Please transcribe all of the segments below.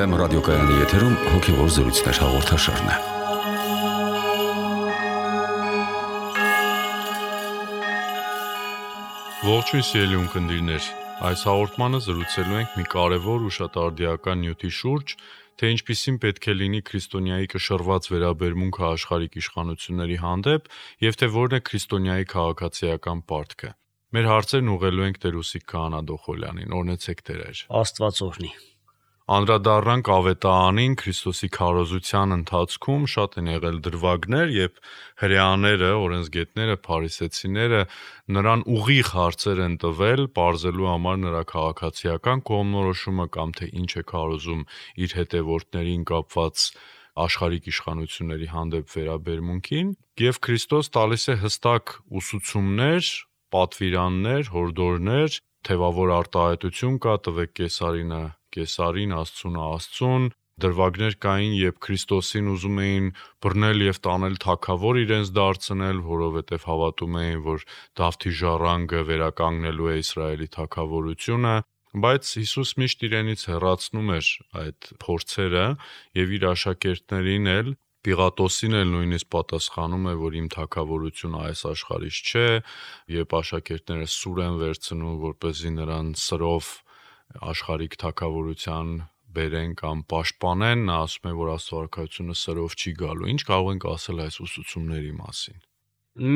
FM ռադիոկայանի եթերում հոգևոր զրույցներ հաղորդաշարն է։ Ողջույն սիրելի ունկնդիրներ, այս հաղորդմանը զրուցելու ենք մի կարևոր ու շատ արդիական նյութի շուրջ, թե ինչպիսին պետք է լինի քրիստոնյայի կշռված վերաբերմունքը աշխարհիկ իշխանությունների հանդեպ եւ թե որն է քրիստոնյայի քաղաքացիական պարտքը։ Մեր հարցերն ուղղելու ենք Տեր Ուսիկ Քահանա Դոխոլյանին, օրհնեցեք Տեր։ Աստված օրհնի։ Անդրադառնանք Ավետարանին, Քրիստոսի քարոզության ընթացքում շատ են եղել դրվագներ, եւ հրեաները, օրենսգետները, փարիսեցիները նրան ուղիղ հարցեր են տվել, պարզելու համար նրա քաղաքացիական կողմնորոշումը կամ թե ինչ է քարոզում իր հետևորդներին կապված աշխարհիկ իշխանությունների հանդեպ վերաբերմունքին, եւ Քրիստոս տալիս է հստակ ուսուցումներ, պատվիրաններ, հորդորներ, թեւավոր արտահայտություն կա, տվեք Կեսարինը Կեսարին, Աստծունը Աստծուն, դրվագներ կային, երբ Քրիստոսին ուզում էին բռնել եւ տանել թագավոր իրենց դարձնել, որովհետեւ հավատում էին, որ Դավթի ժառանգը վերականգնելու է Իսրայելի թագավորությունը, բայց Հիսուս միշտ իրենից հեռացնում էր այդ փորձերը եւ իր աշակերտներին էլ Պիղատոսին էլ նույնիսկ պատասխանում է, որ իմ թագավորությունը այս աշխարհից չէ, երբ աշակերտները սուր են վերցնում, որպեսզի նրան սրով աշխարհիկ թագավորության բերեն կամ պաշտպանեն, նա ասում է, որ աստվածությունը սրով չի գալու։ Ինչ կարող ենք ասել այս ուսուցումների մասին։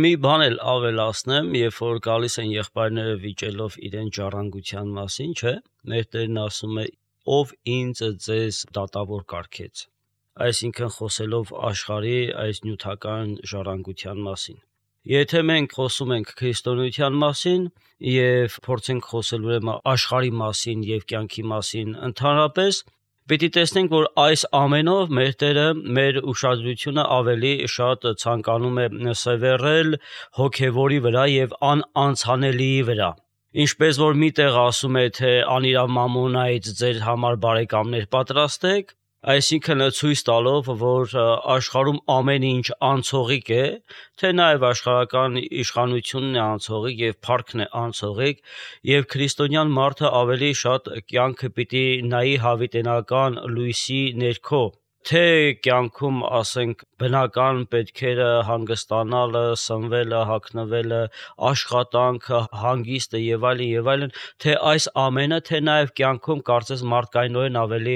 Մի բան էլ ավելացնեմ, երբ որ գալիս են եղբայրները վիճելով իրեն ժառանգության մասին, չէ՞, մեր Տերն ասում է. «Ով ինձ ձեզ դատավոր կարգեց», այսինքն խոսելով աշխարհի այս նյութական ժառանգության մասին։ Եթե մենք խոսում ենք քրիստոնեության մասին եւ փորձենք խոսել ուրեմն աշխարհի մասին եւ կյանքի մասին ընդհանրապես, պիտի տեսնենք, որ այս ամենով մեր Տերը մեր ուշադրությունը ավելի շատ ցանկանում է սևեռել հոգեվորի վրա եւ անանցանելիի վրա։ Ինչպես որ միտեղ ասում է, թե անիրավ մամոնայից ձեր համար բարեկամներ պատրաստեք, այսինքն ցույց տալով, որ աշխարհում ամեն ինչ անցողիկ է, թե նաև աշխարհական իշխանությունն է անցողիկ եւ փառքն է անցողիկ, եւ քրիստոնյան մարդը ավելի շատ կյանքը պիտի նայի հավիտենական լույսի ներքո, թե կյանքում ասենք բնական պետքերը հանգստանալը, սնվելը, հագնվելը, աշխատանքը, հանգիստը եւ այլն, թե այս ամենը, թե նաեւ կյանքում կարծես մարդկայնորեն ավելի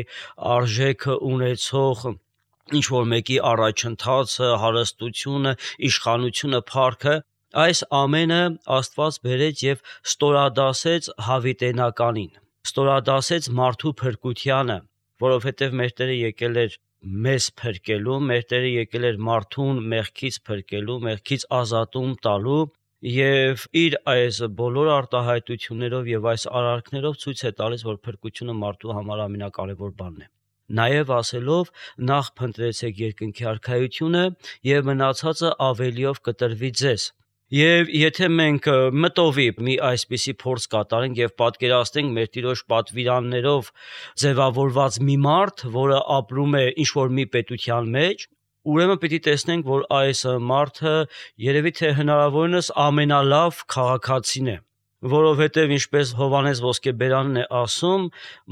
արժեք ունեցող ինչ որ մեկի առաջընթացը, հարստությունը, իշխանությունը, փառքը, այս ամենը Աստված բերեց եւ ստորադասեց հավիտենականին, ստորադասեց մարդու փրկությանը, որովհետեւ մեր Տերը եկել էր մեզ փրկելու, մեր Տերը եկել էր մարդուն մեղքից փրկելու, մեղքից ազատում տալու եւ իր այս բոլոր արտահայտություններով եւ այս արարքներով ցույց է տալիս, որ փրկությունը մարդու համար ամենակարևոր բանն է։ Նաեւ ասելով նախ փնտրեցեք երկնքի արքայությունը եւ մնացածը ավելիով կտրվի ձեզ։ Եվ եթե մենք մտովի մի այսպիսի փորձ կատարենք եւ պատկերացնենք մեր Տիրոջ պատվիրաններով ձևավորված մի մարդ, որը ապրում է ինչ-որ մի պետության մեջ, ուրեմն պիտի տեսնենք, որ այս մարդը երևի թե հնարավորինս ամենալավ քաղաքացին է, որովհետև ինչպես Հովհաննես Ոսկեբերանն է ասում,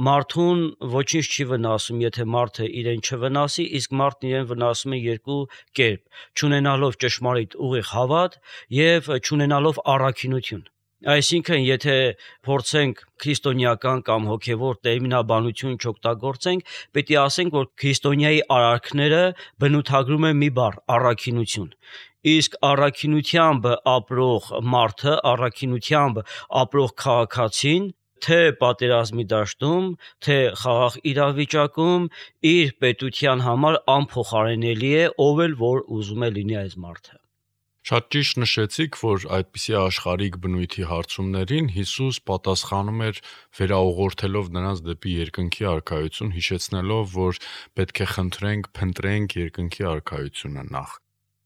մարդուն ոչինչ չի վնասում, եթե մարդը իրեն չվնասի, իսկ մարդն իրեն վնասում է երկու կերպ, չունենալով ճշմարիտ ուղիղ հավատ եւ չունենալով առաքինություն։ Այսինքն, եթե փորձենք քրիստոնեական կամ հոգևոր տերմինաբանություն չօգտագործենք, պետք է ասենք, որ քրիստոնյայի արարքները բնութագրում են մի բառ՝ առաքինություն։ Իսկ առաքինությամբ ապրող մարդը, առաքինությամբ ապրող քաղաքացին, թե պատերազմի դաշտում, թե խաղաղ իրավիճակում, իր պետության համար անփոխարինելի է, ով էլ որ ուզում է լինի այս մարդը։ Շատ ճիշտ նշեցիք, որ այդպիսի աշխարհիկ բնույթի հարցումներին Հիսուս պատասխանում էր վերաուղղորդելով նրանց դեպի երկնքի արքայություն, հիշեցնելով, որ պետք է փնտրենք երկնքի արքայությունը նախ։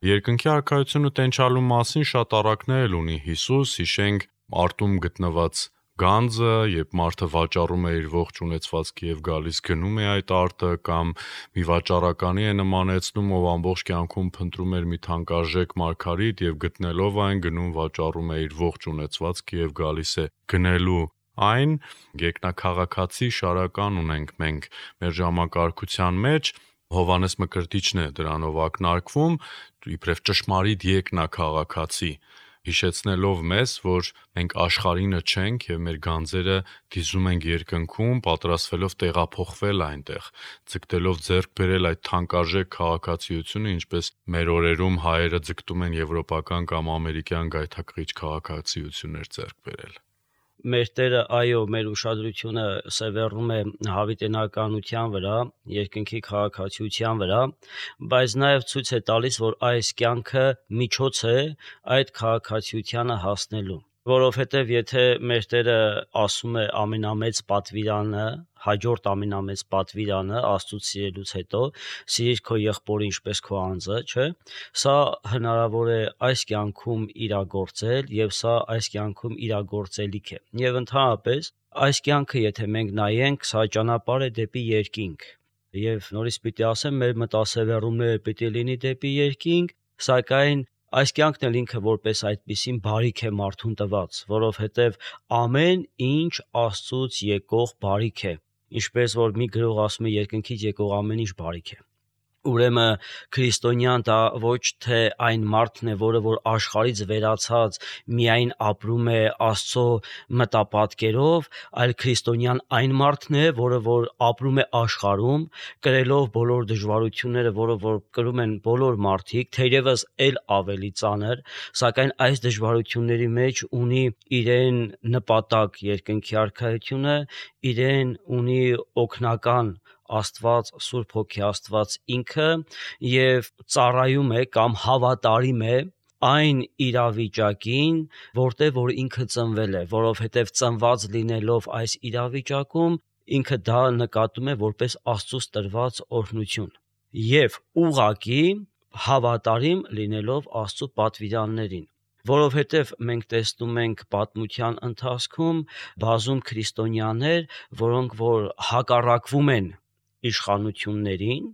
Երկնքի արքայությունը տենչալու մասին շատ առակներ էլ ունի Հիսուս, հիշենք արտում գտնված գանձը, երբ մարդը վաճառում է իր ողջ ունեցվածքը եւ գալիս գնում է այդ արտը, կամ մի վաճառականի է նմանեցնում, ով ամբողջ կյանքում փնտրում էր մի թանկարժեք մարգարիտ եւ գտնելով այն գնում վաճառում է իր ողջ ունեցվածքը եւ գալիս է գնելու Այն գետնաքաղաքացի շարական ունենք մենք մեր ժամակարգության մեջ, Հովհաննես Մկրտիչն է դրանով ակնարկվում, իբրև ճշմարիտ եկնաքաղաքացի, հիշեցնելով մեզ, որ մենք աշխարհինը չենք եւ մեր գանձերը դիզում ենք երկնքում, պատրաստվելով տեղափոխվել այնտեղ, ձգտելով ձեռք բերել այդ թանկարժեք քաղաքացիությունը, ինչպես մեր օրերում հայերը ձգտում են եվրոպական կամ ամերիկյան գայթակղիչ քաղաքացիություններ ձեռք բերել։ Մեր Տերը, այո, մեր ուշադրությունը սևեռում է հավիտենականության վրա, երկնքի քաղաքացիության վրա, բայց նաև ցույց է տալիս, որ այս կյանքը միջոց է այդ քաղաքացիությանը հասնելու։ Որովհետև եթե մեր Տերը ասում է ամենամեծ պատվիրանը, հաջորդ ամենամեծ պատվիրանը Աստծուց սիրելուց հետո, սիրիր քո եղբորը ինչպես քո անձը, չէ՞։ Սա հնարավոր է այս կյանքում իրագործել եւ սա այս կյանքում իրագործելիք է։ Եվ ընդհանրապես այս կյանքը, եթե մենք նայենք, սա ճանապարհ է դեպի երկինք։ Եվ նորից պիտի ասեմ, մեր մտասևեռումները պիտի լինի դեպի երկինք, սակայն այս կյանքն էլ ինքը որպես այդպիսին բարիք է մարդուն տված, որովհետև ամեն ինչ Աստծուց եկող բարիք է, ինչպես որ մի գրող ասում է երկնքից եկող ամեն ինչ բարիք է։ Ուրեմն քրիստոնյան դա ոչ թե այն մարդն է, որը որ աշխարհից վերացած միայն ապրում է Աստծո մտապատկերով, այլ քրիստոնյան այն մարդն է, որը որ ապրում է աշխարհում, կրելով բոլոր դժվարությունները, որը որ կրում են բոլոր մարդիկ, թերևս էլ ավելի ծանր, սակայն այս դժվարությունների մեջ ունի իրեն նպատակ երկնքի արքայությունը, իրեն ունի օգնական Աստված, Սուրբ Հոգի Աստված ինքը եւ ծառայում է կամ հավատարիմ է այն իրավիճակին, որտեղ որ ինքը ծնվել է, որովհետեւ ծնված լինելով այս իրավիճակում ինքը դա նկատում է որպես Աստծուց տրված օրհնություն եւ ուղղակի հավատարիմ լինելով Աստծո պատվիրաններին։ Որովհետև մենք տեսնում ենք պատմության ընթացքում բազում քրիստոնյաներ, որոնք որ հակառակվում են իշխանություններին,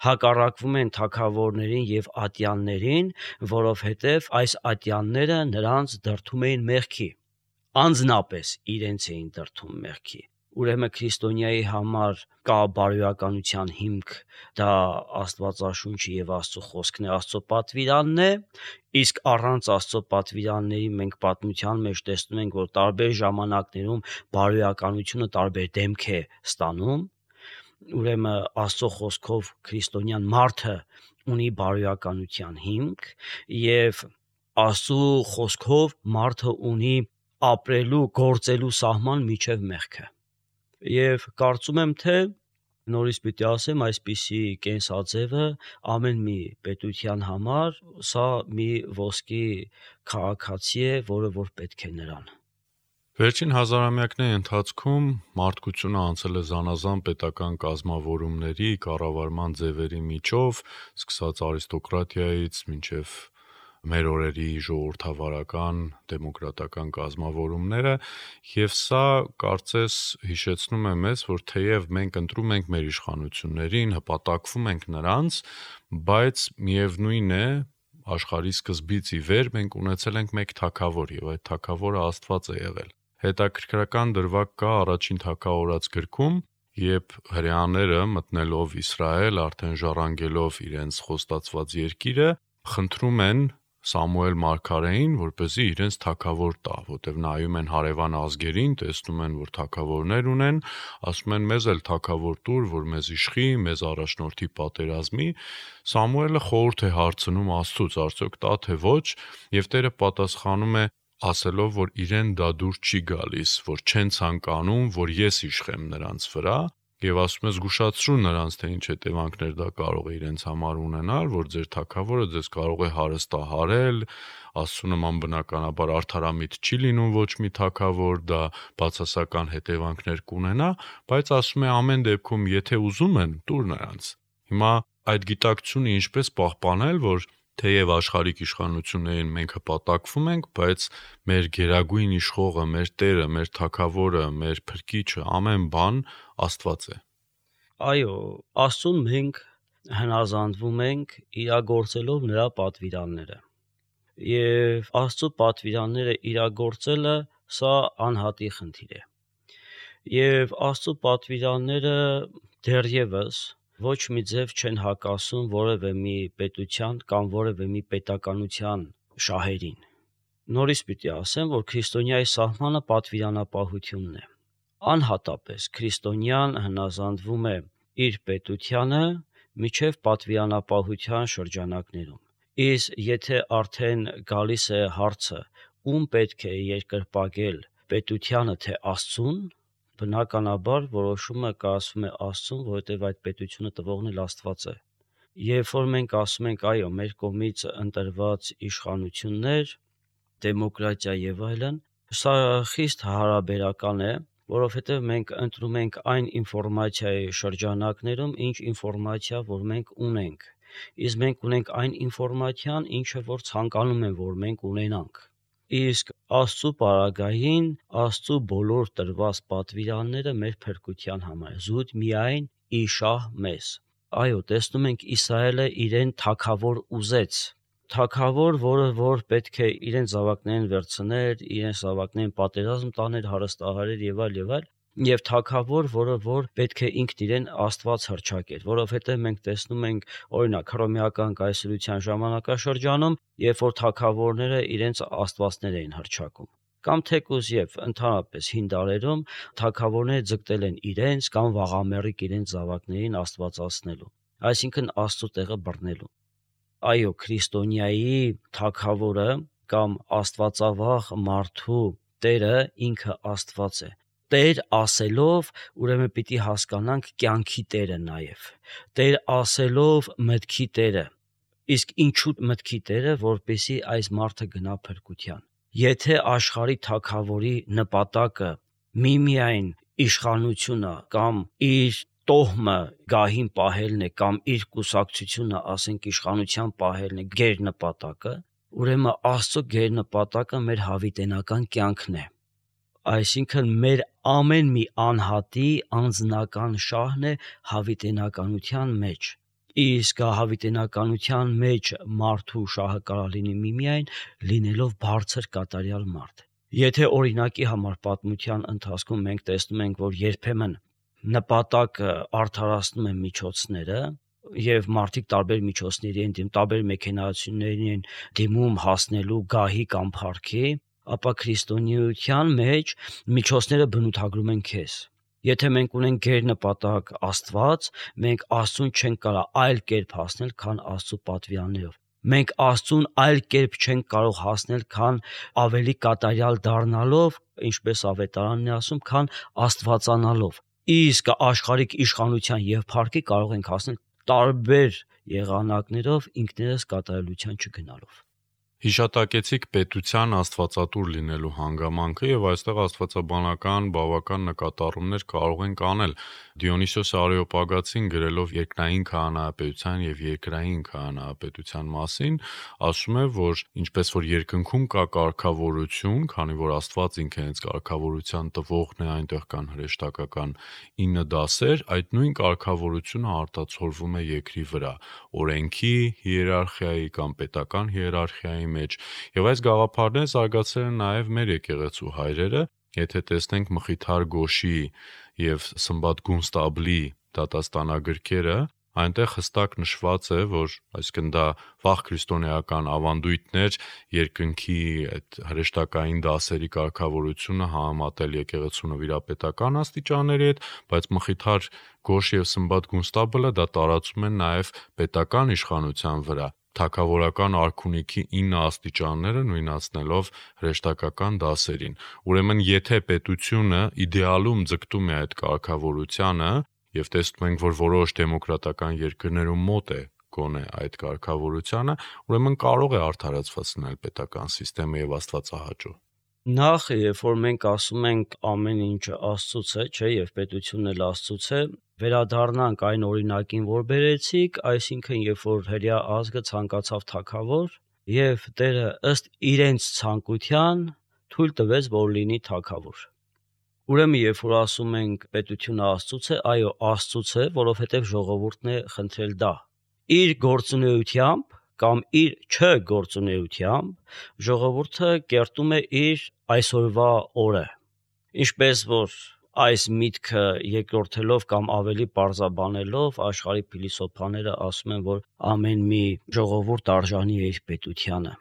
հակառակվում են թագավորներին եւ ատյաններին, որովհետեւ այս ատյանները նրանց դրդում էին մեղքի, անձնապես իրենց էին դրդում մեղքի։ Ուրեմն քրիստոնյայի համար կա բարոյականության հիմք, դա Աստվածաշունչը եւ Աստծո խոսքն է, Աստծո պատվիրանն է, իսկ առանց Աստծո պատվիրանների մենք պատմության մեջ տեսնում ենք, որ տարբեր ժամանակներում բարոյականությունը տարբեր դեմք է ստանում։ Ուրեմն Աստծո խոսքով քրիստոնյան մարդը ունի բարոյականության հիմք եւ Աստծո խոսքով մարդը ունի ապրելու, գործելու սահման միջև մեղքը։ Եվ կարծում եմ, թե նորից պիտի ասեմ, այսպիսի կենսաձևը ամեն մի պետության համար սա մի ոսկի քաղաքացի է, որը որ պետք է նրան։ Վերջին հազարամյակների ընթացքում մարդկությունը անցել է զանազան պետական կազմավորումների, կառավարման ձևերի միջով, սկսած արիստոկրատիայից մինչև մեր օրերի ժողովրդավարական, դեմոկրատական կազմավորումները, եւ սա կարծես հիշեցնում է մեզ, որ թեև մենք ընտրում ենք մեր իշխանություններին, հպատակվում ենք նրանց, բայց միևնույն է, աշխարհի սկզբից ի վեր մենք ունեցել ենք մեկ թագավոր եւ այդ թագավորը Աստված է եղել։ Հետաքրքրական դրվագ կա առաջին թագավորաց գրքում, երբ հրեաները մտնելով Իսրայել, արդեն ժառանգելով իրենց խոստացված երկիրը, խնդրում են Սամուել մարգարեին, որպեսզի իրենց թագավոր տա, որտեղ նայում են հարևան ազգերին, տեսնում են, որ թագավորներ ունեն, ասում են մեզ էլ թագավոր տուր, որ մեզ իշխի, մեզ առաջնորդի պատերազմի։ Սամուելը խորհուրդ է հարցնում Աստծուց, արդյոք տա թե ոչ, եւ Տերը պատասխանում է ասելով, որ իրեն դա դուր չի գալիս, որ չեն ցանկանում, որ ես իշխեմ նրանց վրա, եւ ասում է զգուշացրու նրանց, թե ինչ հետևանքներ դա կարող է իրենց համար ունենալ, որ ձեր թագավորը ձեզ կարող է հարստահարել, Աստծո նման բնականաբար արդարամիտ չի լինում ոչ մի թագավոր, դա բացասական հետևանքներ կունենա, բայց ասում է ամեն դեպքում, եթե ուզում են, տուր նրանց։ Հիմա այդ գիտակցությունը ինչպես պահպանել, որ թեև աշխարհիկ իշխանություններին մենք հպատակվում ենք, բայց մեր գերագույն իշխողը, մեր Տերը, մեր թագավորը, մեր փրկիչը, ամեն բան Աստված է։ Այո, Աստծուն մենք հնազանդվում ենք իրագործելով նրա պատվիրանները։ Եվ Աստծո պատվիրանները իրագործելը սա անհատի խնդիր է։ Եվ Աստծո պատվիրանները դեռևս ոչ մի ձև չեն հակասում որևէ մի պետության կամ որևէ մի պետականության շահերին։ Նորից պիտի ասեմ, որ քրիստոնյայի սահմանը պատվիրանապահությունն է։ Անհատապես քրիստոնյան հնազանդվում է իր պետությանը միջև պատվիրանապահության շրջանակներում։ Իսկ եթե արդեն գալիս է հարցը, ում պետք է երկրպագել պետությանը թե Աստծուն, բնականաբար որոշումը կայացվում է Աստծուն, որովհետև այդ պետությունը տվողն էլ Աստված է։ Երբ որ մենք ասում ենք այո, մեր կողմից ընտրված իշխանություններ, դեմոկրատիա եւ այլն, սա խիստ հարաբերական է, որովհետև մենք ընտրում ենք այն ինֆորմացիայի շրջանակներում, ինչ ինֆորմացիա որ մենք ունենք։ Իսկ մենք ունենք այն ինֆորմացիան, ինչը որ ցանկանում են, որ մենք ունենանք։ Իսկ Աստծո պարագային Աստծո բոլոր տրված պատվիրանները մեր փրկության համար զուտ միայն իշահ մեզ։ Այո, տեսնում ենք Իսրայելը իրեն թագավոր ուզեց, թագավոր, որը որ պետք է իրեն զավակներին վերցներ, իրեն զավակներին պատերազմ տաներ, հարստահարեր եւ այլ, եւ թագավոր, որը որ պետք է ինքն իրեն Աստված հռչակեր, որովհետեւ մենք տեսնում ենք օրինակ հռոմեական կայսրության ժամանակաշրջանում, երբ որ թագավորները իրենց աստվածներ էին հռչակում, կամ թեկուզ եւ ընդհանրապես հին դարերում թագավորները ձգտել են իրենց կամ վաղամերիկ իրենց զավակներին աստվածացնելու, այսինքն Աստծո տեղը բռնելու։ Այո, քրիստոնյայի թագավորը կամ աստվածավախ մարդու Տերը ինքը Աստված է։ Տեր ասելով, ուրեմն պիտի հասկանանք կյանքի Տերը նաև։ Տեր ասելով մտքի Տերը։ Իսկ ինչու մտքի Տերը, որպեսզի այս մարդը գնա փրկության։ Եթե աշխարհի թագավորի նպատակը միմիայն իշխանությունը կամ իր տոհմը գահին պահելն է կամ իր կուսակցությունը, ասենք իշխանության պահելն է գերնպատակը, ուրեմն Աստծո գերնպատակը մեր հավիտենական կյանքն է։ Այսինքն մեր ամեն մի անհատի անձնական շահն է հավիտենականության մեջ։ Իսկ հավիտենականության մեջ մարդու շահը կարող լինի միմիայն լինելով բարձր կատարյալ մարդ։ Եթե օրինակի համար պատմության ընթացքում մենք տեսնում ենք, որ երբեմն նպատակը արդարացնում է միջոցները, եւ մարդիկ տարբեր միջոցների են դիմում, տարբեր մեքենայությունների են դիմում հասնելու գահի կամ փառքի, ապա քրիստոնեության մեջ միջոցները բնութագրում են քեզ։ Եթե մենք ունենք գերնպատակ Աստված, մենք Աստծուն չենք կարող այլ կերպ հասնել, քան Աստծո պատվիրաններով։ Մենք Աստծուն այլ կերպ չենք կարող հասնել, քան ավելի կատարյալ դառնալով, ինչպես ավետարանն է ասում, քան աստվածանալով։ Իսկ աշխարհիկ իշխանության եւ փառքի կարող ենք հասնել տարբեր եղանակներով ինքներս կատարելության չգնալով։ Հիշատակեցիք պետության աստվածատուր լինելու հանգամանքը եւ այստեղ աստվածաբանական բավական նկատառումներ կարող ենք անել։ Դիոնիսիոս Արեոպագացին գրելով երկնային քահանայապետության եւ երկրային քահանայապետության մասին ասում է, որ ինչպես որ երկնքում կա կարգավորություն, քանի որ Աստված ինքը հենց կարգավորության տվողն է, այնտեղ կան հրեշտակական 9 դասեր, այդ նույն կարգավորությունը արտացոլվում է երկրի վրա, օրենքի հիերարխիայի կամ պետական հիերարխիայի մեջ, եւ այս գաղափարները զարգացել են նաեւ մեր եկեղեցու հայրերը, եթե տեսնենք Մխիթար Գոշի եւ Սմբատ Գունստաբլի դատաստանագրքերը, այնտեղ հստակ նշված է, որ այսինքն դա վաղ քրիստոնեական ավանդույթներ երկնքի այդ հրեշտակային դասերի կարգավորությունը համատել եկեղեցու նվիրապետական աստիճանների հետ, բայց Մխիթար Գոշ եւ Սմբատ Գունստաբլը դա տարածում են նաեւ պետական իշխանության վրա, թագավորական արքունիքի 9 աստիճանները նույնացնելով հրեշտակական դասերին։ Ուրեմն եթե պետությունը իդեալում ձգտում է այդ կարգավորությանը եւ տեսնում ենք, որ որոշ դեմոկրատական երկրներում մոտ է գոնե այդ կարգավորությանը, ուրեմն կարող է արդարացված լինել պետական համակարգը եւ աստվածահաճո։ Նախ, երբ որ մենք ասում ենք ամեն ինչը Աստծուց է, չէ, եւ պետությունն էլ Աստծուց է, վերադառնանք այն օրինակին, որ բերեցիք, այսինքն երբ որ հրեա ազգը ցանկացավ թագավոր եւ Տերը ըստ իրենց ցանկության թույլ տվեց, որ լինի թագավոր։ Ուրեմն երբ որ ասում ենք պետությունը Աստծուց է, այո, Աստծուց է, որովհետեւ ժողովուրդն է խնդրել դա։ Իր գործունեությամբ կամ իր չգործունեությամբ ժողովուրդը կերտում է իր այսօրվա օրը։ Ինչպես որ այս միտքը երկրորդելով կամ ավելի պարզաբանելով աշխարհի փիլիսոփաները ասում են, որ ամեն մի ժողովուրդ արժանի է իր պետությանը։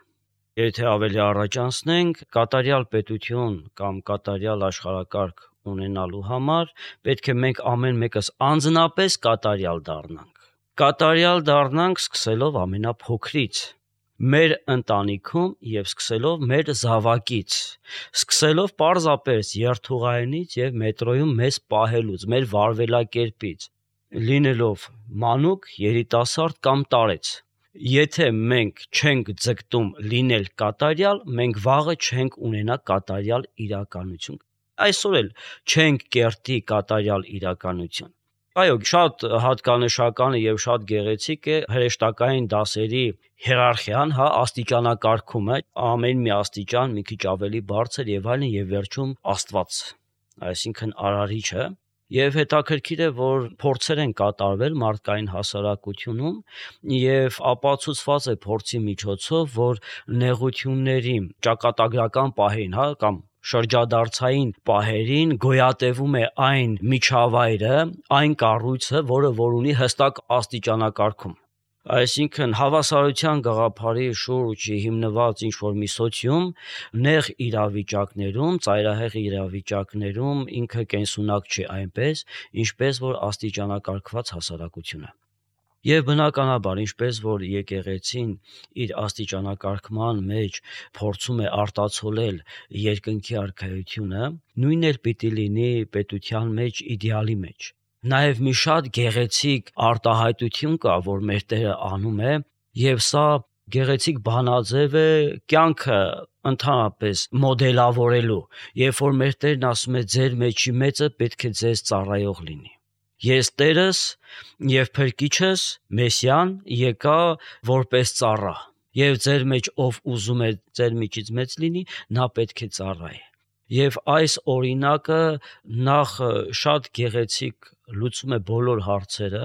Եթե ավելի առաջանցնենք, կատարյալ պետություն կամ կատարյալ աշխարհակարգ ունենալու համար պետք է մենք ամեն մեկս անձնապես կատարյալ դառնանք։ Կատարյալ դառնանք սկսելով ամենափոքրից, մեր ընտանիքում եւ սկսելով մեր զավակից, սկսելով պարզապես երթուղայինից եւ մետրոյում մեզ պահելուց, մեր վարվելակերպից, լինելով մանուկ, երիտասարդ կամ տարեց։ Եթե մենք չենք ձգտում լինել կատարյալ, մենք վաղը չենք ունենա կատարյալ իրականություն։ Այսօր էլ չենք կերտի կատարյալ իրականություն։ Այո, շատ հատկանշական եւ շատ գեղեցիկ է հրեշտակային դասերի հիերարխիան, աստիճանակարգումը, ամեն մի աստիճան մի քիչ ավելի բարձր եւ այլն եւ վերջում Աստված, այսինքն արարիչը, եւ հետաքրքիր է, որ փորձեր են կատարվել մարդկային հասարակությունում եւ ապացուցված է փորձի միջոցով, որ նեղությունների ճակատագրական պահերին, կամ շրջադարձային պահերին գոյատևում է այն միջավայրը, այն կառույցը, որ ունի հստակ աստիճանակարգում։ Այսինքն հավասարության գաղափարի շուրջ հիմնված ինչ-որ մի սոցիում նեղ իրավիճակներում, ծայրահեղ իրավիճակներում ինքը կենսունակ չի այնպես, ինչպես որ աստիճանակարգված հասարակությունը։ Եվ բնականաբար, ինչպես որ եկեղեցին իր աստիճանակարգման մեջ փորձում է արտացոլել երկնքի արքայությունը, նույնն էլ պիտի լինի պետության մեջ, իդեալի մեջ։ Նաև մի շատ գեղեցիկ արտահայտություն կա, որ մեր Տերը անում է, եւ սա գեղեցիկ բանաձև է կյանքը ընդհանրապես մոդելավորելու, երբ որ մեր Տերն ասում է ձեր մեջի մեծը պետք է ձեզ ծառայող լինի։ Ես Տերս եւ Փրկիչս Մեսիան եկա որպես ծառա, եւ ձեր մեջ ով ուզում է ձեր միջից մեծ լինի, նա պետք է ծառայի։ Եվ այս օրինակը նախ շատ գեղեցիկ լուծում է բոլոր հարցերը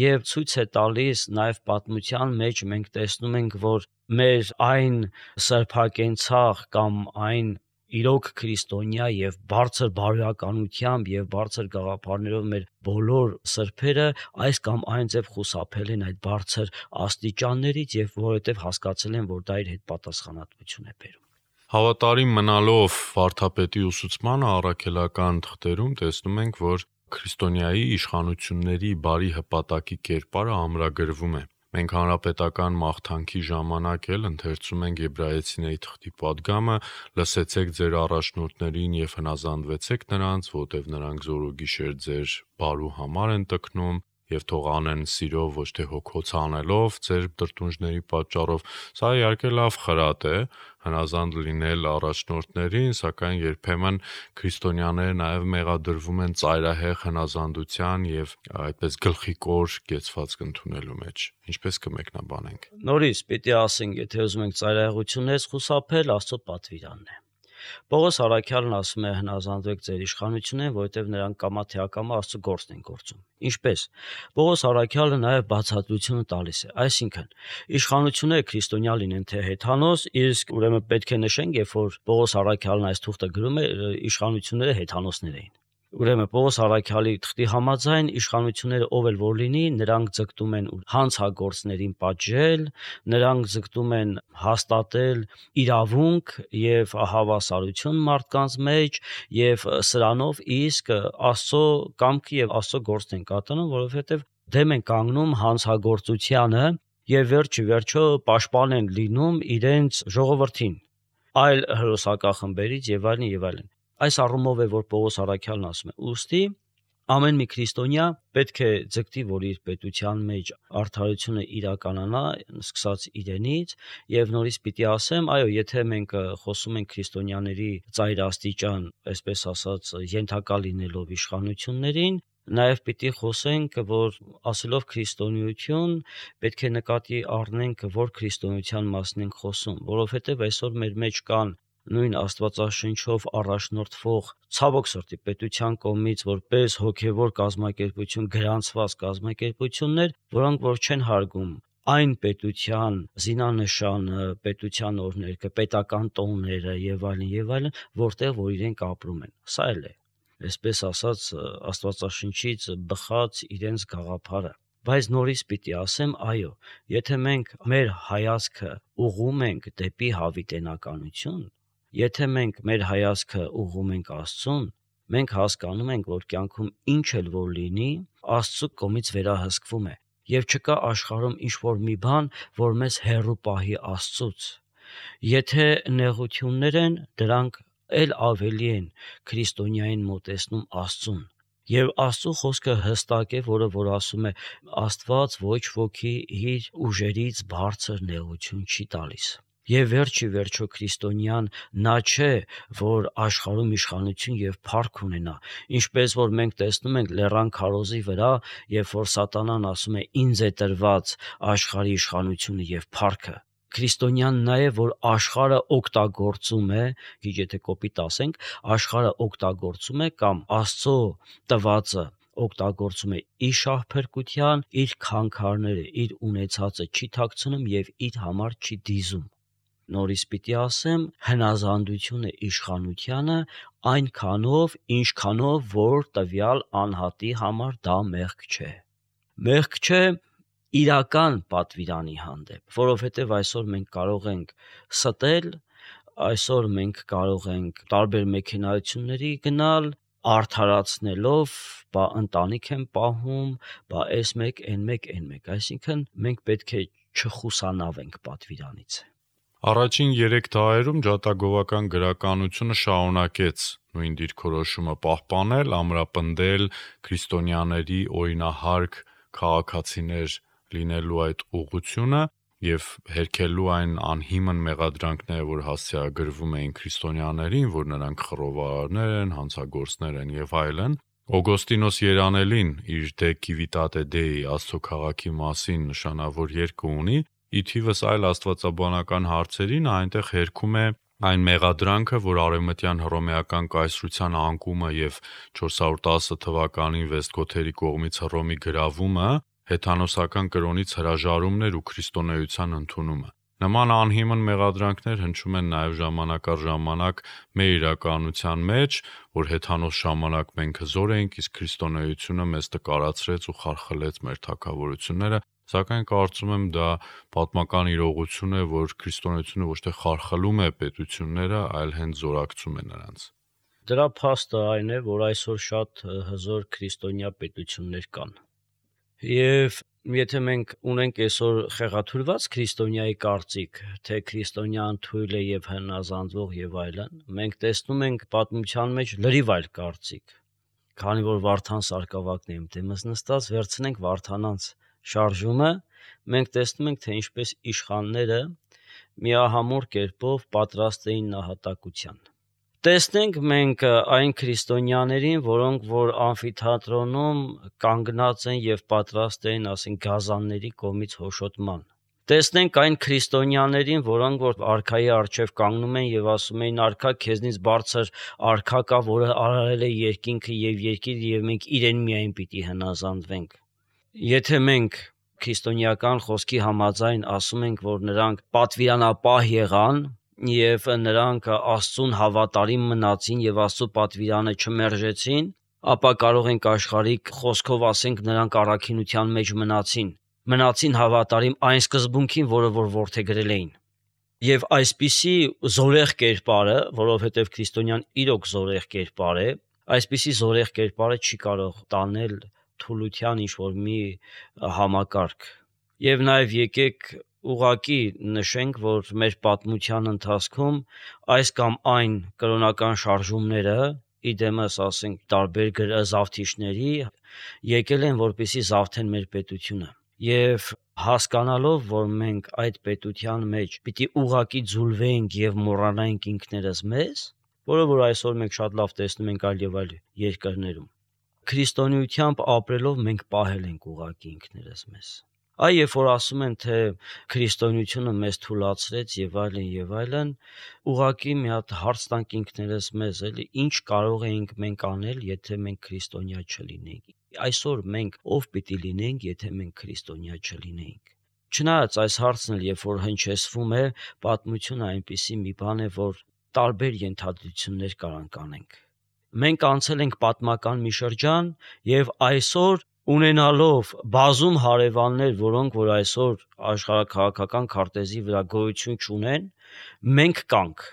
եւ ցույց է տալիս նաեւ պատմության մեջ մենք տեսնում ենք, որ մեր այն սրբակենցաղ կամ այն իրոք քրիստոնյա եւ բարձր բարոյականությամբ եւ բարձր գաղափարներով մեր բոլոր սրբերը այս կամ այն ձև խուսափել են այդ բարձր աստիճաններից եւ որովհետեւ հասկացել են, որ դա իր հետ պատասխանատվություն է բերում։ Հավատարիմ մնալով վարդապետի ուսուցմանը առաքելական թղթերում տեսնում ենք, որ քրիստոնյայի իշխանությունների բարի հպատակի կերպարը ամրագրվում է։ Մենք հանրապետական մաղթանքի ժամանակ էլ ընթերցում ենք Եբրայեցիների թղթի պատգամը. լսեցեք ձեր առաջնորդներին եւ հնազանդվեցեք նրանց, որտեւ նրանք զորուգիշեր ձեր բարու համար են տքնում եւ թող անեն սիրով, ոչ թե հոգոց անելով ձեր տրտունջների պատճառով։ Սա իհարկե լավ խրատ է հնազանդ լինել առաջնորդներին, սակայն երբեմն քրիստոնյաները նաեւ մեղադրվում են ծայրահեղ հնազանդության եւ այդպես գլխիկոր կեցվածք ընդունելու մեջ։ Ինչպես կմեկնաբանենք։ Նորից պիտի ասենք, եթե ուզում ենք ծայրահեղություններից խուսափել, Աստծո պատվիրանն է։ Պողոս առաքյալն ասում է հնազանդվեք ձեր իշխանություններին, որովհետև նրանք կամա թե ակամա Աստծո գործն են գործում։ Ինչպես Պողոս առաքյալը նաև բացատրությունը տալիս է, այսինքն իշխանությունները քրիստոնյա լինեն թե հեթանոս, իսկ ուրեմն պետք է նշենք, երբ որ Պողոս առաքյալն այս թուղթը գրում է, իշխանությունները հեթանոսներ էին։ Ուրեմն Պողոս առաքյալի թղթի համաձայն իշխանությունները ով էլ որ լինի, նրանք ձգտում են հանցագործներին պատժել, նրանք ձգտում են հաստատել իրավունք եւ հավասարություն մարդկանց մեջ եւ սրանով իսկ Աստծո կամքը եւ Աստծո գործն են կատարում, որովհետեւ դեմ են կանգնում հանցագործությանը եւ վերջը պաշտպան են լինում իրենց ժողովրդին, այլ հրոսակախմբերից եւ այլն եւ այլն։ Այս առումով է, որ Պողոս առաքյալն ասում է. ուստի ամեն մի քրիստոնյա պետք է ձգտի, որ իր պետության մեջ արդարությունը իրականանա, սկսած իրենից, եւ նորից պիտի ասեմ, այո, եթե մենք խոսում ենք քրիստոնյաների ծայրաստիճան, այսպես ասած, ենթակա լինելով իշխանություններին, նաև պիտի խոսենք, որ ասելով քրիստոնեություն պետք է նկատի առնենք, որ քրիստոնեության մասին ենք խոսում, որովհետև այսօր մեր մեջ կան նույն Աստվածաշնչով առաջնորդվող ցավոք սրտի պետության կողմից որպես հոգևոր կազմակերպություն գրանցված կազմակերպություններ, որոնք որ չեն հարգում այն պետության զինանշանը, պետության օրհներգը, պետական տոները եւ այլն, որտեղ որ իրենք ապրում են։ Սա էլ է։ այսպես ասած Աստվածաշնչից բխած իրենց գաղափարը։ Բայց նորից պիտի ասեմ, այո, եթե մենք մեր հայացքը ուղղում ենք դեպի հավիտենականություն, եթե մենք մեր հայացքը ուղղում ենք Աստծուն, մենք հասկանում ենք, որ կյանքում ինչ էլ որ լինի, Աստծո կողմից վերահսկվում է, եւ չկա աշխարհում ինչ-որ մի բան, որ մեզ հեռու պահի Աստծուց։ Եթե նեղություններ են, դրանք էլ ավելի են քրիստոնյային մոտեցնում Աստծուն։ Եվ Աստծո խոսքը հստակ է, որ ասում է Աստված ոչ ոքի իր ուժերից բարձր նեղություն չի տալիս։ Եվ վերջի վերջո քրիստոնյան նա չէ, որ աշխարհում իշխանություն եւ փառք ունենա, ինչպես որ մենք տեսնում ենք լեռան քարոզի վրա, երբ որ սատանան ասում է ինձ է տրված աշխարհի իշխանությունը եւ փառքը։ Քրիստոնյան նա է, որ աշխարհը օգտագործում է, քիչ եթե կոպիտ ասենք, աշխարհը օգտագործում է կամ Աստծո տվածը օգտագործում է իր շահփրկության, իր քանքարները, իր ունեցածը չի թաքցնում եւ իր համար չի դիզում։ Նորից պիտի ասեմ, հնազանդությունը իշխանությանը այնքանով, ինչքանով որ տվյալ անհատի համար դա մեղք չէ։ Մեղք չէ իրական պատվիրանի հանդեպ, որովհետև այսօր մենք կարող ենք ստել, այսօր մենք կարող ենք տարբեր մեքենայությունների գնալ, արդարացնելով, բա ընտանիք եմ պահում, բա այս մեկ, այն մեկ, այն մեկ, այսինքն մենք պետք է չխուսանավենք պատվիրանից։ Առաջին 3 դարերում ջատագովական գրականությունը շարունակեց նույն դիրքորոշումը պահպանել, ամրապնդել քրիստոնյաների օրինահարկ քաղաքացիներ լինելու այդ ուղղությունը եւ հերքելու այն անհիմն մեղադրանքները, որ հասցեագրվում էին քրիստոնյաներին, որ նրանք խռովարարներ են, հանցագործներ են եւ այլն։ Օգոստինոս Երանելին իր De Civitate Dei Աստծո քաղաքի մասին նշանավոր երկը ունի, ի թիվս այլ աստվածաբանական հարցերին այնտեղ հերքում է այն մեղադրանքը, որ արևմտյան հռոմեական կայսրության անկումը եւ 410 թվականին Վեստգոթերի կողմից Հռոմի գրավումը հեթանոսական կրոնից հրաժարումն էր ու քրիստոնեության ընդունումը։ Նման անհիմն մեղադրանքներ հնչում են նաև ժամանակ առ ժամանակ մեր իրականության մեջ, որ հեթանոս ժամանակ մենք հզոր էինք, իսկ քրիստոնեությունը մեզ տկարացրեց ու խարխլեց մեր թագավորությունները, սակայն կարծում եմ դա պատմական իրողություն է, որ քրիստոնեությունը ոչ թե խարխլում է պետությունները, այլ հենց զորակցում է նրանց։ Դրա փաստը այն է, որ այսօր շատ հզոր քրիստոնյա պետություններ կան։ Եվ եթե մենք ունենք այսօր խեղաթյուրված քրիստոնյայի կարծիք, թե քրիստոնյան թույլ է եւ հնազանդվող եւ այլն, մենք տեսնում ենք պատմության մեջ լրիվ այլ կարծիք։ Քանի որ Վարդան Սարգսակյանն է դեմս նստած, վերցնենք Վարդանանց շարժումը, մենք տեսնում ենք, թե ինչպես իշխանները միահամուռ կերպով պատրաստ էին նահատակության։ Տեսնենք մենք այն քրիստոնյաներին, որոնք որ ամֆիթատրոնում կանգնած են եւ պատրաստ են, ասենք, գազանների կողմից հոշոտման։ Տեսնենք այն քրիստոնյաներին, որոնք որ արքայի առջև կանգնում են եւ ասում են արքա քեզնից բարձր արքա կա, որը արարել է երկինքը եւ երկիրը եւ մենք իրեն միայն պիտի հնազանդվենք։ Եթե մենք քրիստոնեական խոսքի համաձայն ասում ենք, որ նրանք պատվիրանապահ եղան եւ նրանք Աստծուն հավատարիմ մնացին եւ Աստծո պատվիրանը չմերժեցին, ապա կարող ենք աշխարհիկ խոսքով ասենք նրանք առաքինության մեջ մնացին հավատարիմ այն սկզբունքին, որը որ որդեգրել էին։ Եվ այսպիսի զորեղ կերպարը, որովհետև քրիստոնյան իրոք զորեղ կերպար է, այսպիսի զորեղ կերպարը չի կարող տանել թուլության ինչ-որ մի համակարգ։ Եվ նաև եկեք ուղղակի նշենք, որ մեր պատմության ընթացքում այս կամ այն կրոնական շարժումները, իդեմս ասենք տարբեր զավթիչների, եկել են որպեսզի զավթեն մեր պետությունը։ Եվ հասկանալով, որ մենք այդ պետության մեջ պիտի ուղղակի ձուլվենք եւ մոռանանք ինքներս մեզ, որը որ այսօր մենք շատ լավ տեսնում ենք այլ եւ այլ երկրներում, քրիստոնեությամբ ապրելով մենք պահել ենք ուղղակի ինքներս մեզ։ Այ երբ որ ասում են, թե քրիստոնեությունը մեզ թուլացրեց եւ այլն, ուղղակի մի հատ հարց տանք ինքներս մեզ, էլի ինչ կարող էինք մենք անել, եթե մենք քրիստոնյա չլինեինք։ Այսօր մենք ով պիտի լինենք, եթե մենք քրիստոնյա չլինեինք։ Չնայած այս հարցն էլ երբ որ հնչեցվում է, պատմությունը այնպիսի մի բան է, որ տարբեր ենթադրություններ կարանք անենք։ Մենք անցել ենք պատմական մի շրջան եւ այսօր ունենալով բազում հարևաններ, որոնք որ այսօր աշխարհաքաղաքական քարտեզի վրա գոյություն չունեն, մենք կանք։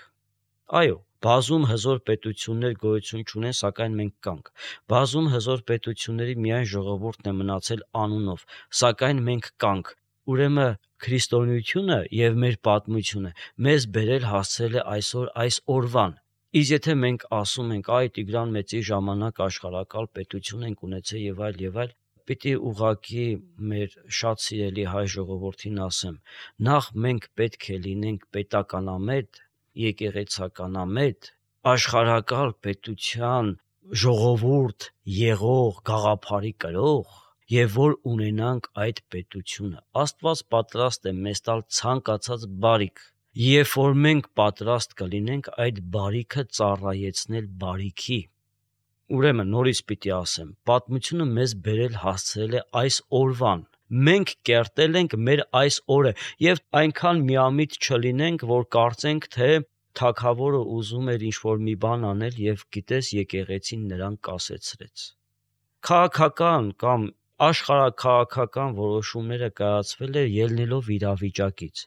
Այո, բազում հզոր պետություններ գոյություն չունեն, սակայն մենք կանք։ Բազում հզոր պետությունների միայն ժողովուրդն է մնացել անունով, սակայն մենք կանք։ Ուրեմն քրիստոնեությունը եւ մեր պատմությունը մեզ բերել հասցրել է այսօր այս օրվան։ Իսկ եթե մենք ասում ենք, այ Տիգրան Մեծի ժամանակ աշխարհակալ պետություն ենք ունեցել եւ այլ, պիտի ուղղակի մեր շատ սիրելի հայ ժողովրդին ասեմ, նախ մենք պետք է լինենք պետականամետ, եկեղեցականամետ, աշխարհակալ պետության ժողովուրդ եղող գաղափարի կրող եւ որ ունենանք այդ պետությունը։ Աստված պատրաստ է մեզ տալ ցանկացած բարիք, երբ որ մենք պատրաստ կլինենք այդ բարիքը ծառայեցնել բարիքի։ Ուրեմն նորից պիտի ասեմ, պատմությունը մեզ բերել հասցրել է այս օրվան։ Մենք կերտել ենք մեր այս օրը եւ այնքան միամիտ չլինենք, որ կարծենք, թե թագավորը ուզում էր ինչ-որ մի բան անել եւ գիտես եկեղեցին նրան կասեցրեց։ Քաղաքական կամ աշխարհաքաղաքական որոշումները կայացվել է ելնելով իրավիճակից։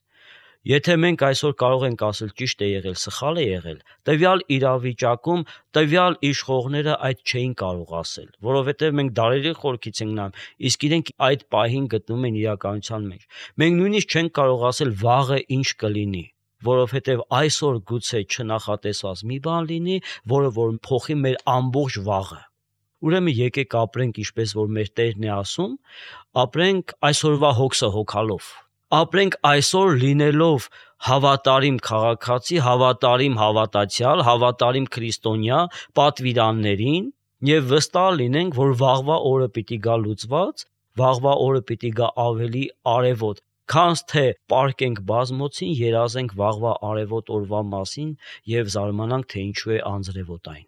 Եթե մենք այսօր կարող ենք ասել ճիշտ է եղել, սխալ է եղել, տվյալ իրավիճակում տվյալ իշխողները այդ չէին կարող ասել, որովհետև մենք դարերի խորքից ենք նայում, իսկ իրենք այդ պահին գտնվում են իրականության մեջ։ Մենք նույնիսկ չենք կարող ասել վաղը ինչ կլինի, որովհետև այսօր գուցե չնախատեսված մի բան լինի, որը որ փոխի մեր ամբողջ վաղը։ Ուրեմն եկեք ապրենք ինչպես որ մեր Տերն է ասում, ապրենք այսօրվա հոգսը հոգալով։ Ապրենք այսօր լինելով հավատարիմ քաղաքացի, հավատարիմ հավատացյալ, հավատարիմ քրիստոնյա պատվիրաններին եւ վստահ լինենք, որ վաղվա օրը պիտի գա լուծված, վաղվա օրը պիտի գա ավելի արևոտ, քանց թե պարկենք բազմոցին, երազենք վաղվա արևոտ օրվա մասին եւ զարմանանք, թե ինչու է անձրևոտ այն։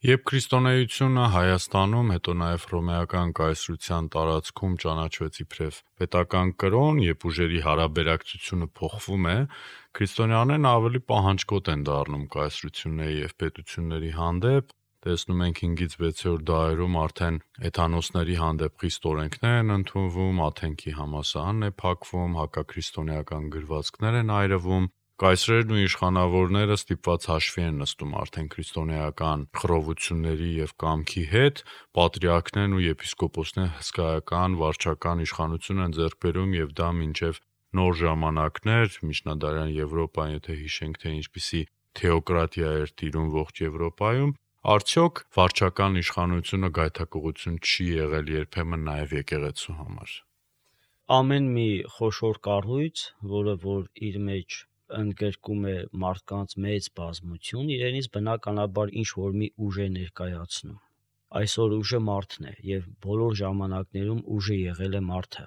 Երբ քրիստոնեությունը Հայաստանում, հետո նաև հռոմեական կայսրության տարածքում ճանաչվեց իբրև պետական կրոն, երբ ուժերի հարաբերակցությունը փոխվում է, քրիստոնյաներն ավելի պահանջկոտ են դառնում կայսրությունների եւ պետությունների հանդեպ։ Տեսնում ենք 5-ից 6-րդ դարերում արդեն էթանոսների հանդեպ խիստ օրենքներ են ընդունվում, Աթենքի համալսարանն է փակվում, հակաքրիստոնեական գրվածքներ են այրվում։ Կայսրերն ու իշխանավորները ստիպված հաշվի են նստում արդեն քրիստոնեական խռովությունների եւ կամքի հետ, պատրիարքներն ու եպիսկոպոսներն հսկայական վարչական իշխանություն են ձեռք բերում եւ դա մինչեւ նոր ժամանակներ, միջնադարյան Եվրոպան, եթե հիշենք, թե ինչպիսի թեոկրատիա էր տիրում ողջ Եվրոպայում, արդյոք վարչական իշխանությունը գայթակղություն չի եղել երբեմն նաեւ եկեղեցու համար։ Ամեն մի խոշոր կառույց, որը որ իր մեջ ընդգրկում է մարդկանց մեծ բազմություն, իրենից բնականաբար ինչ որ մի ուժ է ներկայացնում։ Այսօր ուժը մարդն է եւ բոլոր ժամանակներում ուժը եղել է մարդը։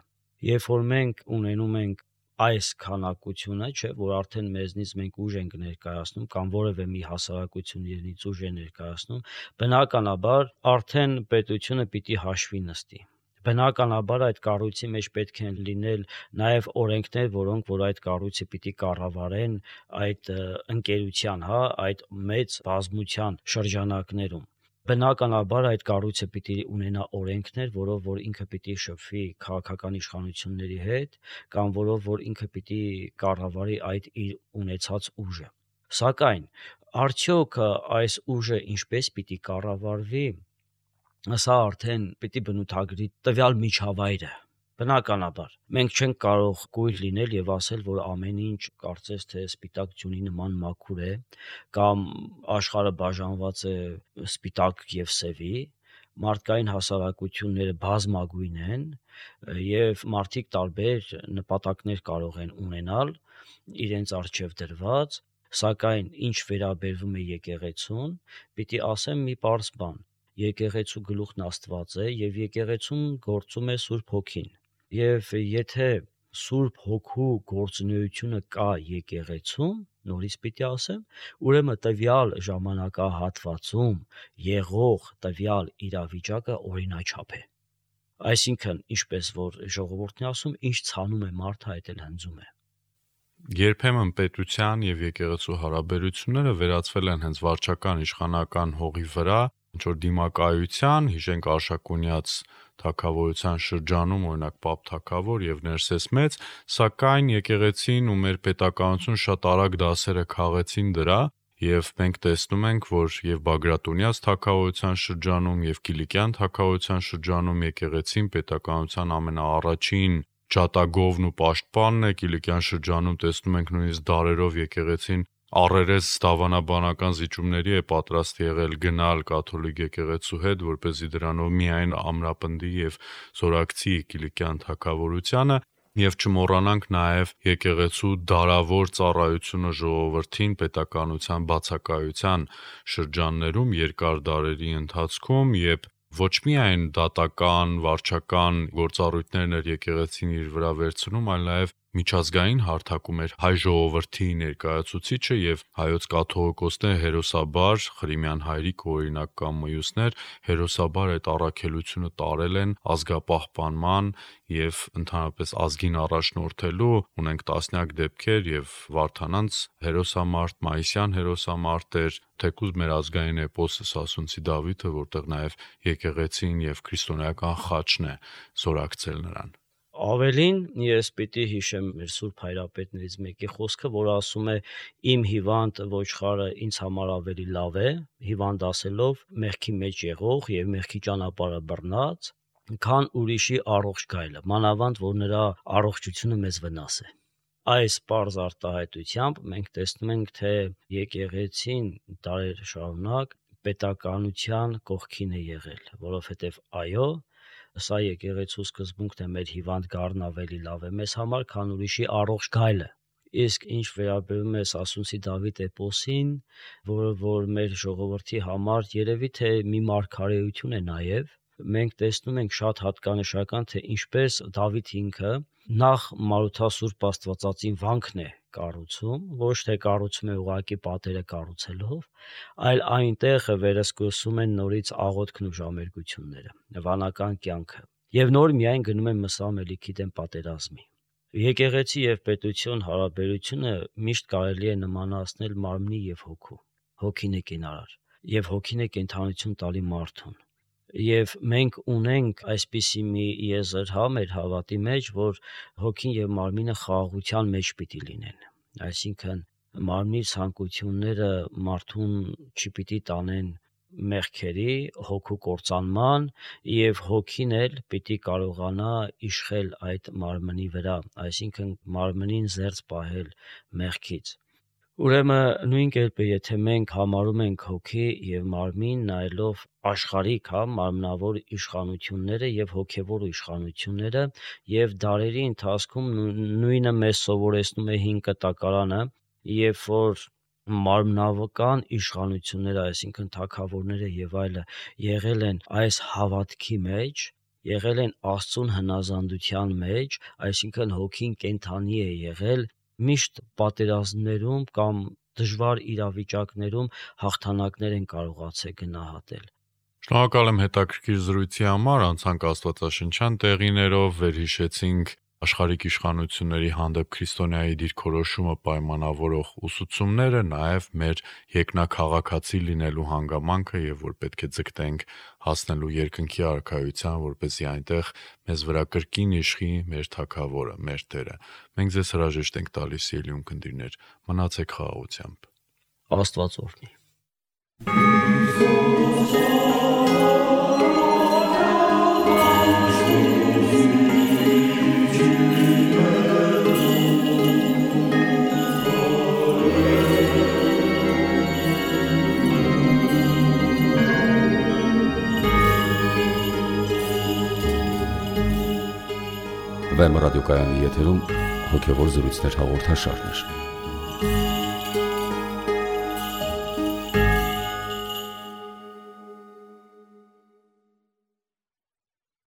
Երբ որ մենք ունենում ենք այս քանակությունը, չէ, որ արդեն մեզնից մենք ուժ ենք ներկայացնում կամ որևէ մի հասարակություն իրենից ուժ է ներկայացնում, բնականաբար արդեն պետությունը պիտի հաշվի նստի։ Բնականաբար այդ կառույցի մեջ պետք է լինել նաև օրենքներ, որոնք որ այդ կառույցը պիտի կառավարեն այդ ընկերության, այդ մեծ բազմության շրջանակներում։ Բնականաբար այդ կառույցը պիտի ունենա օրենքներ, որով որ ինքը պիտի շփվի քաղաքական իշխանությունների հետ, կամ որով որ ինքը պիտի կառավարի այդ իր ունեցած ուժը։ Սակայն արդյոք այս ուժը ինչպես պիտի կառավարվի, սա արդեն պիտի բնութագրի տվյալ միջավայրը։ Բնականաբար մենք չենք կարող կույր լինել եւ ասել, որ ամեն ինչ կարծես թե սպիտակ ջունի նման մաքուր է, կամ աշխարհը բաժանված է սպիտակ եւ սևի, մարդկային հասարակությունները բազմագույն են եւ մարդիկ տարբեր նպատակներ կարող են ունենալ իրենց առջև դրված, սակայն ինչ վերաբերվում է եկեղեցուն, պիտի ասեմ մի պարզ բան. եկեղեցու գլուխն Աստված է եւ եկեղեցուն գործում է Սուրբ Հոգին։ Եվ եթե Սուրբ Հոգու գործունեությունը կա եկեղեցում, նորից պիտի ասեմ, ուրեմն տվյալ ժամանակահատվածում եղող տվյալ իրավիճակը օրինաչափ է։ Այսինքն, ինչպես որ ժողովուրդն է ասում, ինչ ցանում է մարդը, այդ էլ հնձում է։ Երբեմն պետության եւ եկեղեցու հարաբերությունները վերածվել են հենց վարչական իշխանական հողի վրա, ինչ որ դիմակայության, հիշենք Արշակունյաց թագավորության շրջանում, օրինակ Պապ թագավոր եւ Ներսես մեծ, սակայն եկեղեցին ու մեր պետականություն շատ արագ դասերը քաղեցին դրա, եւ մենք տեսնում ենք, որ եւ Բագրատունյաց թագավորության շրջանում եւ Կիլիկյան թագավորության շրջանում եկեղեցին պետականության ամենաառաջին ջատագովն ու պաշտպանն է, Կիլիկյան շրջանում տեսնում ենք նույնիսկ դարերով եկեղեցին առերես դավանաբանական զիջումների է պատրաստ եղել գնալ կաթոլիկ եկեղեցու հետ, որպեսզի դրանով միայն ամրապնդի եւ զորակցի Կիլիկյան թագավորությանը, եւ չմոռանանք նաեւ եկեղեցու դարավոր ծառայությունը ժողովրդին պետականության բացակայության շրջաններում երկար դարերի ընթացքում, եւ ոչ միայն դատական, վարչական գործառույթներն էր եկեղեցին իր վրա վերցնում, այլ նաեւ միջազգային հարթակում էր հայ ժողովրդի ներկայացուցիչը եւ հայոց կաթողիկոսները հերոսաբար, Ղրիմյան հայրիկ օրինակ կամ մյուսներ, հերոսաբար այդ առաքելությունը տարել են ազգապահպանման եւ ընդհանրապես ազգին առաջնորդելու, ունենք տասնյակ դեպքեր եւ Վարդանանց հերոսամարտ, Մայիսյան հերոսամարտեր, թեկուզ մեր ազգային էպոսը Սասունցի Դավիթը, որտեղ նաեւ եկեղեցին եւ քրիստոնեական խաչն է զորակցել նրան։ Ավելին ես պիտի հիշեմ մեր Սուրբ Հայրապետներից մեկի խոսքը, որ ասում է իմ հիվանդ ոչխարը ինձ համար ավելի լավ է, հիվանդ ասելով մեղքի մեջ եղող եւ մեղքի ճանապարհը բռնած, քան ուրիշի առողջ գայլը, մանավանդ որ նրա առողջությունը մեզ վնաս է։ Այս պարզ արտահայտությամբ մենք տեսնում ենք, թե եկեղեցին դարեր շարունակ պետականության կողքին է եղել, որովհետեւ այո, սա եկեղեցու սկզբունքն է, մեր հիվանդ գառն ավելի լավ է մեզ համար, քան ուրիշի առողջ գայլը։ Իսկ ինչ վերաբերում է Սասունցի Դավիթ էպոսին, որ մեր ժողովրդի համար երևի թե մի մարգարեություն է նաև, մենք տեսնում ենք շատ հատկանշական, թե ինչպես Դավիթ ինքը նախ Մարութասուրբ Աստվածածին վանքն է կառուցում, ոչ թե կառուցում է ուղղակի պատերը կառուցելով, այլ այնտեղ վերսկսում են նորից աղոթքն ու ժամերգությունները, վանական կյանքը, եւ նոր միայն գնում են մսամելիքի դեմ պատերազմի։ Եկեղեցի եւ պետություն հարաբերությունը միշտ կարելի է նմանացնել մարմնի եւ հոգու։ Հոգին է կենարար եւ հոգին է կենթանություն տալի մարդուն։ Եվ մենք ունենք այսպիսի մի եզր մեր հավատի մեջ, որ հոգին եւ մարմինը խաղաղության մեջ պիտի լինեն։ Այսինքն մարմնի ցանկությունները մարդուն չպիտի տանեն մեղքերի, հոգու կործանման, եւ հոգին էլ պիտի կարողանա իշխել այդ մարմնի վրա, այսինքն մարմնին զերծ պահել մեղքից։ Ուրեմն նույն կերպ եթե մենք համարում ենք հոգի եւ մարմին նայելով աշխարհիկ, մարմնավոր իշխանությունները եւ հոգեվոր իշխանությունները եւ դարերի ընթացքում նույնը մեզ սովորեցնում է 5 կտակարանը, երբ որ մարմնական իշխանությունները, այսինքն թագավորները եւ այլը եղել են այս հավատքի մեջ, եղել են Աստծուն հնազանդության մեջ, այսինքն հոգին կենթանի է եղել, միշտ պատերազմներում կամ դժվար իրավիճակներում հաղթանակներ են կարողացել գնահատել։ Շնորհակալ եմ հետաքրքիր զրույցի համար, անցանք աստվածաշնչյան տեղիներով, վերհիշեցինք աշխարհիկ իշխանությունների հանդեպ քրիստոնեայի դիրքորոշումը պայմանավորող ուսուցումները, նաև մեր երկնաքաղաքացի լինելու հանգամանքը եւ որ պետք է ձգտենք հասնելու երկնքի արքայության, որպեսզի այնտեղ մեզ վրա կրկին իշխի մեր թագավորը, մեր Տերը։ Մենք ձեզ հրաժեշտ ենք տալիս, ելույթ ունկնդիրներ, մնացեք խաղաղությամբ։ Աստված օրհնի։ Վեմ ռադիոկայանի եթերում հոգևոր զրույցներ հաղորդաշարներ։